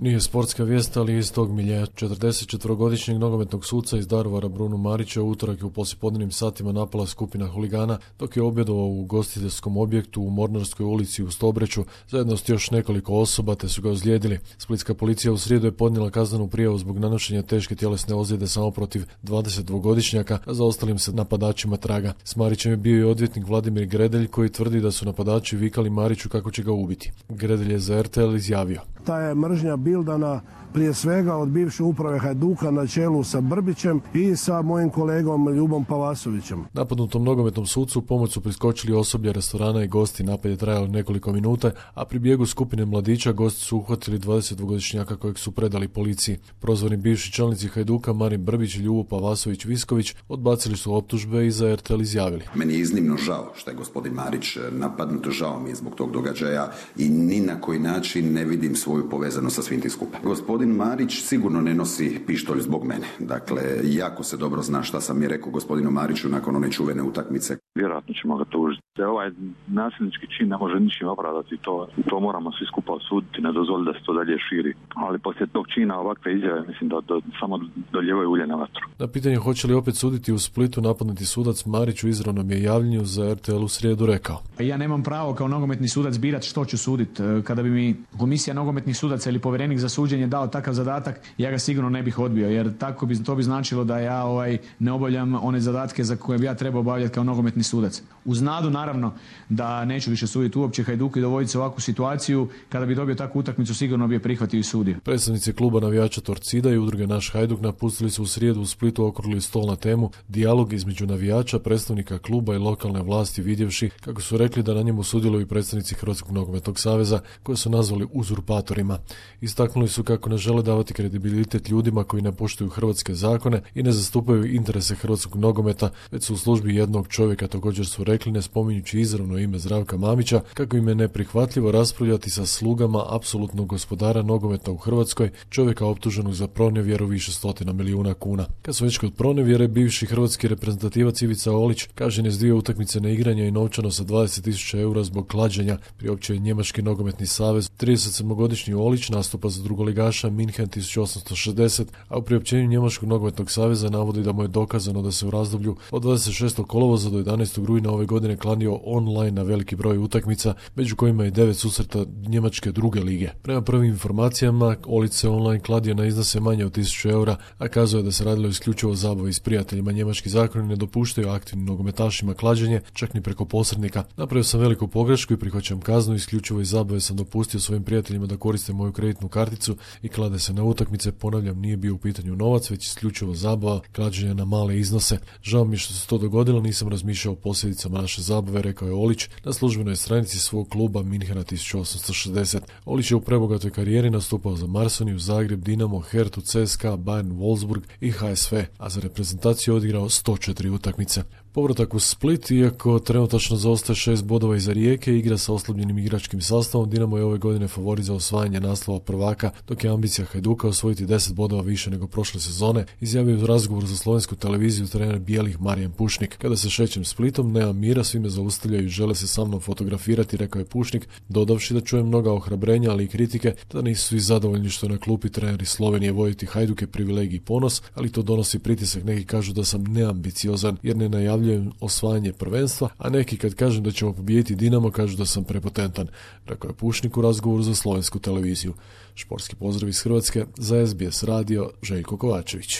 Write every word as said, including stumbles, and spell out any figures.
Nije sportska vijest, ali iz tog miljeja. četrdesetčetvorogodišnjeg nogometnog suca iz Daruvara Brunu Marića u utorak je u poslijepodnevnim satima napala skupina huligana dok je objedovao u ugostiteljskom objektu u Mornarskoj ulici u Stobreću zajedno s još nekoliko osoba te su ga ozlijedili. Splitska policija u srijedu je podnijela kaznenu prijavu zbog nanošenja teške tjelesne ozljede samo protiv dvadesetdvogodišnjaka, a za ostalim se napadačima traga. S Marićem je bio i odvjetnik Vladimir Gredelj koji tvrdi da su napadači vikali Mariću kako će ga ubiti. Gredelj je za er te el izjavio: Ta je mržnja bildana prije svega od bivše uprave Hajduka na čelu sa Brbićem i sa mojim kolegom Ljubom Pavasovićem. Napadnutom nogometnom sucu u pomoć su priskočili osoblje restorana i gosti. Napad je trajao nekoliko minuta, a pri bijegu skupine mladića gosti su uhvatili dvadesetdvogodišnjaka kojeg su predali policiji. Prozvani bivši čelnici Hajduka Marin Brbić i Ljubo Pavasović Visković odbacili su optužbe i za er te el izjavili: Meni je iznimno žao što je gospodin Marić napadnut, žao mi je zbog tog događaja i ni na koji način ne vidim svoju povezanost sa svim tim skupa. Gospodin Marić sigurno ne nosi pištolj zbog mene. Dakle, jako se dobro zna šta sam je rekao gospodinu Mariću nakon one čuvene utakmice. Vjerojatno ćemo ga tužiti. Ovaj nasilnički čin ne može ničim opravdati, to, to moramo svi skupa osuditi, ne dozvoliti da se to dalje širi. Ali poslije tog čina ovakve izjave mislim da do, samo doljevaju ulje na vatru. Na pitanje hoće li opet suditi u Splitu napadnuti sudac, Marić u izravnom je javljanju za er te el u srijedu rekao: Ja nemam pravo kao nogometni sudac birati što ću suditi. Kada bi mi komisija nogometnih sudaca ili povjerenik za suđenje dao takav zadatak, ja ga sigurno ne bih odbio, jer tako bi, to bi značilo da ja ovaj, ne obavljam one zadatke za koje bi ja trebao obavljati kao nogometni sudac. Uz nadu naravno da neću više suditi uopće Hajduku i dovoditi se u ovakvu situaciju. Kada bi dobio takvu utakmicu sigurno bi je prihvatio i sudio. Predstavnici kluba navijača Torcida i udruge Naš Hajduk napustili su u srijedu u Splitu okrugli stol na temu dijalog između navijača, predstavnika kluba i lokalne vlasti, vidjevši kako su rekli da na njemu sudjeluju predstavnici Hrvatskog nogometnog saveza koje su nazvali uzurpatorima. Istaknuli su kako ne žele davati kredibilitet ljudima koji ne poštuju hrvatske zakone i ne zastupaju interese hrvatskog nogometa, već su u službi jednog čovjeka. Također su rekli, ne spominjući izravno ime Zdravka Mamića, kako im je neprihvatljivo raspravljati sa slugama apsolutnog gospodara nogometa u Hrvatskoj, čovjeka optuženog za pronevjeru više stotina milijuna kuna. Kad su već kod pronevjere, bivši hrvatski reprezentativac Ivica Olić kažnjen je s dvije utakmice na igranje i novčano sa dvadeset tisuća eura zbog klađenja, priopćio je Njemački nogometni savez. tridesetsedmogodišnji Olić nastupa za drugoligaša Minhen tisuću osamsto šezdeset, a u priopćenju Njemačkog nogometnog saveza navodi da mu je dokazano da se u razdoblju od dvadeset šestog kolovoza do jedanaestog rujna ove godine kladio online na veliki broj utakmica, među kojima je devet susreta Njemačke druge lige. Prema prvim informacijama, Olić se online kladio na iznose manje od tisuću eura, a kazuje da se radilo isključivo o zabavi s prijateljima. Njemački zakoni ne dopuštaju aktivnim nogometašima klađenje, čak ni preko posrednika. Napravio sam veliku pogrešku i prihvaćam kaznu, isključivo iz zabave sam dopustio svojim prijateljima da koriste moju kreditnu karticu i klade se na utakmice. Ponavljam, nije bio u pitanju novac, već isključivo zabava, klađenje na male iznose. Žao mi je što se to dogodilo, nisam razmišljao o posljedicama naše zabave, rekao je Olić na službenoj stranici svog kluba Minhena tisuću osamsto šezdeset. Olić je u prebogatoj karijeri nastupao za Marsoniju, Zagreb, Dinamo, Hertu, C S K A, Bayern, Wolfsburg i H S V, a za reprezentaciju odigrao sto četiri utakmice. Povratak u Split, iako trenutačno zaostaje šest bodova iza Rijeke, igra sa oslabljenim igračkim sastavom. Dinamo je ove godine favorit za osvajanje naslova prvaka, dok je ambicija Hajduka osvojiti deset bodova više nego prošle sezone, izjavio u razgovoru za slovensku televiziju trener bijelih Marijan Pušnik. Kada se šećem Splitom, nemam mira, svi me zaustavljaju i žele se sa mnom fotografirati, rekao je Pušnik, dodavši da čujem mnoga ohrabrenja, ali i kritike, da nisu svi zadovoljni što je na klupi treneri Slovenije. Voditi Hajduk je privilegij i ponos, ali to donosi pritisak. Neki kažu da sam neambiciozan jer ne najavljujem osvajanje prvenstva, a neki kad kažem da ćemo pobijediti Dinamo kažu da sam prepotentan, rekao je Pušnik u razgovoru za slovensku televiziju. Športski pozdrav iz Hrvatske, za es be es radio, Željko Kovačević.